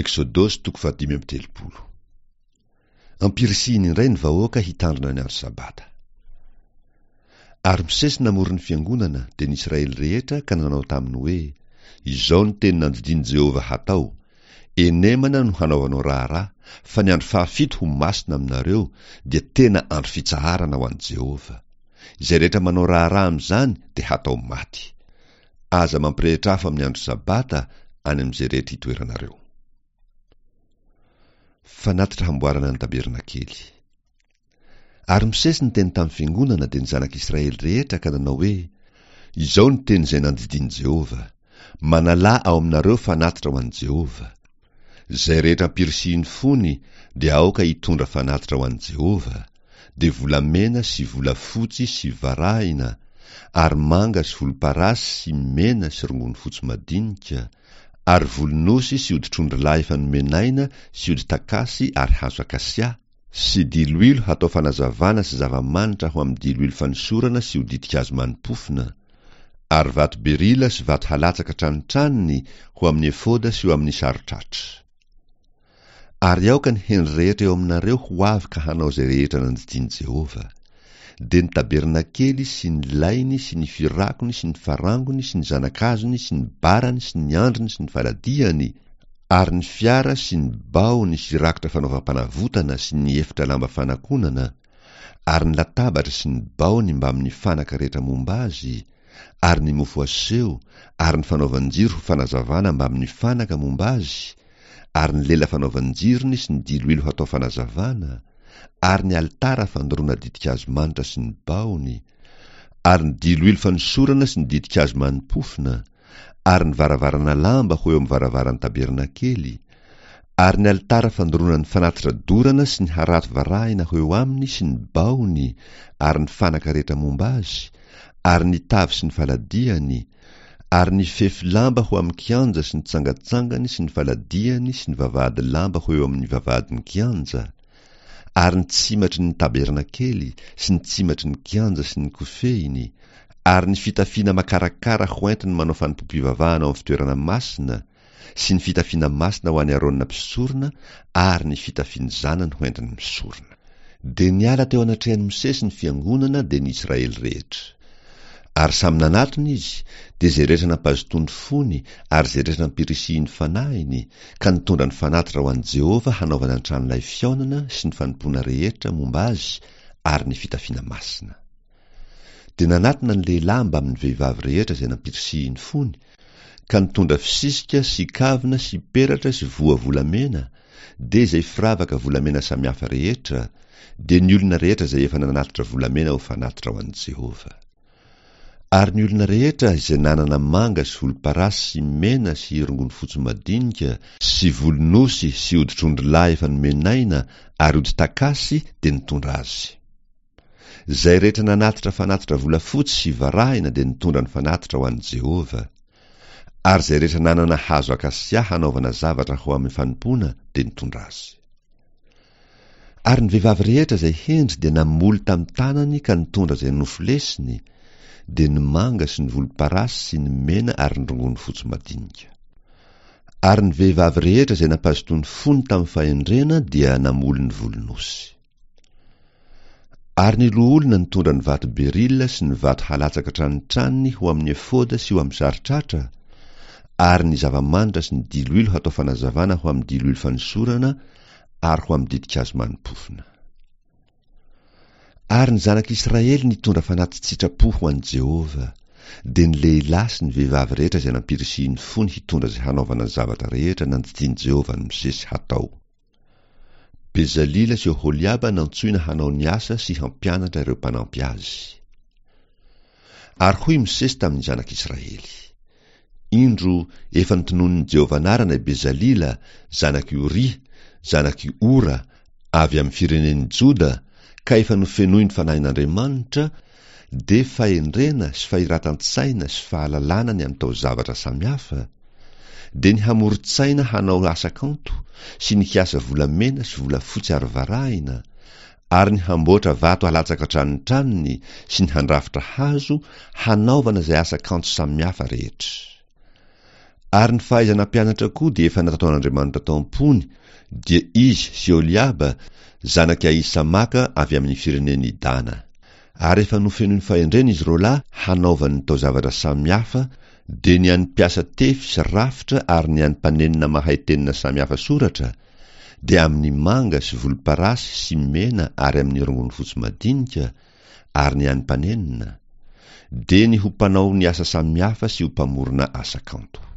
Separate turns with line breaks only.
Eksodosy toko fahadimy amby 30. Ampirisihiny indray ny vahoaka hitandrina ny andro Sabata. Ary Mosesy namory ny fiangonana, dia ny Israely rehetra, ka nanao taminy hoe, Izao no teny nandidian'i Jehovah hatao, Enemana no hanaovanao raharaha, fa ny andro fahafito ho masina aminareo, dia tena andro fitsaharana ho an'i Jehovah. Izay rehetra manao raharaha amin'izany dia hatao maty. Aza mampirehitra afo amin'ny andro Sabata any amin'izay rehetra itoeranareo. Fanatitra hamboarana ny tabernakely. Ary Mosesy niteny tamin'ny fiangonana, dia ny zanak'Israely rehetra, ka nanao hoe, Izao no teny izay nandidian'i Jehovah, Manalà ao aminareo fanatitra ho an'i Jehovah. Izay rehetra ampirisihin'ny fony dia aoka hitondra fanatitra ho an'i Jehovah, dia volamena sy volafotsy sy varahina ary manga sy volomparasy sy mena sy rongony fotsy madinika, ary volon'osy sy hoditr'ondrilahy efa nomen'aina sy hodi-takasy ary hazo akasia, sy diloilo hatao fanazavana sy zava-manitra ho amin'ny diloilo fanosorana sy ho ditin-kazo mani-pofona, ary vato berila sy vato halatsaka tranotranony ho amin'ny efoda sy ho amin'ny saron-tratra. Ary aoka ny hendry rehetra eo aminareo ho avy ka hanao izay rehetra nandidian'i Jehovah. Dia ny tabernakely sy ny lainy sy ny firakony sy ny farangony sy ny zana-kazony sy ny barany sy ny andriny sy ny faladiany ary ny fiara sy ny baony sy rakotra fanaovam-panavotana sy ny efitra lamba fanakonana ary ny latabatra sy ny baony mbamin'ny fanaka rehetra momba azy ary ny mofo aseho ary ny fanaovan-jiro ho fanazavana mbamin'ny fanaka momba azy ary ny lela fanaovan-jirony sy ny diloilo hatao fanazavana, ary ny alitara fandoroana ditin-kazo manitra sy ny bahony, ary ny diloilo fanosorana sy ny ditin-kazo mani-pofona, ary ny varavarana lamba ho eo amin'ny varavaran'ny tabernakely, ary ny alitara fandoroana ny fanatitra dorana sy ny harato varahina ho eo aminy sy ny bahony ary ny fanaka rehetra momba azy, ary ny tavy sy ny faladiany, Ary ny fefy lamba ho amin'ny kianja sy ny tsangatsangany sy ny faladiany sy ny vavahady lamba ho eo amin'ny vavahadin'ny kianja, ary ny tsimatry ny tabernakely sy ny tsimatry ny kianja sy ny kofehiny, ary ny fitafiana makarakara hoentiny manao fanompoam-pivavahana ao amin'ny fitoerana masina, sy ny fitafiana masina ho an'i Arona mpisorona ary ny fitafian'ny zanany hoentiny misorona. Dia niala teo anatrehan'i Mosesy ny fiangonana, dia ny Israely rehetra. Ary samy nanatona izy, dia izay rehetra nampazotoa ny fony ary izay rehetra nampirisihin'ny fanahiny, ka nitondra ny fanatitra ho an'i Jehovah hanaovana ny tranolay fihaonana sy ny fanompoana rehetra momba azy ary ny fitafiana masina. Dia nanatona ny lehilahy mbamin'ny vehivavy rehetra izay nampirisihin'ny fony, ka nitondra fisisika sy kavina sy peratra sy voa volamena, dia izay firavaka volamena samihafa rehetra, dia ny olona rehetra izay efa nanatitra volamena ho fanatitra ho an'i Jehovah. Ary ny olona rehetra izay nanana manga sy volomparasy sy mena sy rongony fotsy madinika sy volon'osy sy hoditr'ondrilahy efa nomen'aina ary hodi-takasy dia nitondra azy. Izay rehetra nanatitra fanatitra volafotsy sy varahina dia nitondra ny fanatitra ho an'i Jehovah. Ary izay rehetra nanana hazo akasia hanaovana zavatra ho amin'ny fanompoana dia nitondra azy. Ary ny vehivavy rehetra izay hendry dia namoly tamin'ny tanany ka nitondra izay nofolesiny, dia ny manga sy ny volomparasy sy ny mena ary ny rongony fotsy madinika. Ary ny vehivavy rehetra izay nampazotoa ny fony tamin'ny fahendrena dia namoly ny volon'osy. Ary ny loholona nitondra ny vato berila sy ny vato halatsaka tranotranony ho amin'ny efoda sy ho amin'ny saron-tratra, ary ny zava-manitra sy ny diloilo hatao fanazavana ho amin'ny diloilo fanosorana ary ho amin'ny ditin-kazo mani-pofona. Ary ny zanak'Israely nitondra fanati-tsitrapo ho an'i Jehovah, dia ny lehilahy sy ny vehivavy rehetra izay nampirisihin'ny fony hitondra izay hanaovana ny zavatra rehetra nandidian'i Jehovah an'i Mosesy hatao. Bezalila sy Oholiaba nantsoina hanao ny asa sy hampianatra ireo mpanampy azy. Ary hoy Mosesy tamin'ny zanak'Israely, Indro, efa notononin'i Jehovah anarana i Bezalila, zanak'i Oria, zanak'i Ora, avy amin'ny firenen'i Joda, ka efa nofenoin'ny Fanahin'Andriamanitra, dia fahendrena sy fahiratan-tsaina sy fahalalana ny amin'ny taozavatra samihafa, dia ny hamoron-tsaina hanao asa kanto sy ny hiasa volamena sy volafotsy ary varahina, ary ny hamboatra vato alatsaka an-tranotranony sy ny handrafitra hazo hanaovana izay asa kanto samihafa rehetra. Ary ny fahaizana mpianatra koa dia efa nataon'Andriamanitra tao am-pony, dia izy sy Oholiaba, zanak'i Ahisamaka avy amin'ny firenen'i Dana. Ary efa nofenoiny fahendrena izy roalahy hanaovany ny taozavatra samihafa, dia ny an'ny mpiasa tefy sy rafitra ary ny an'ny mpanenona mahay tenona samihafa soratra, dia amin'ny manga sy volomparasy sy mena ary amin'ny rongony fotsy madinika, ary ny an'ny mpanenona, dia ny ho mpanao ny asa samihafa sy ho mpamorona asa kanto.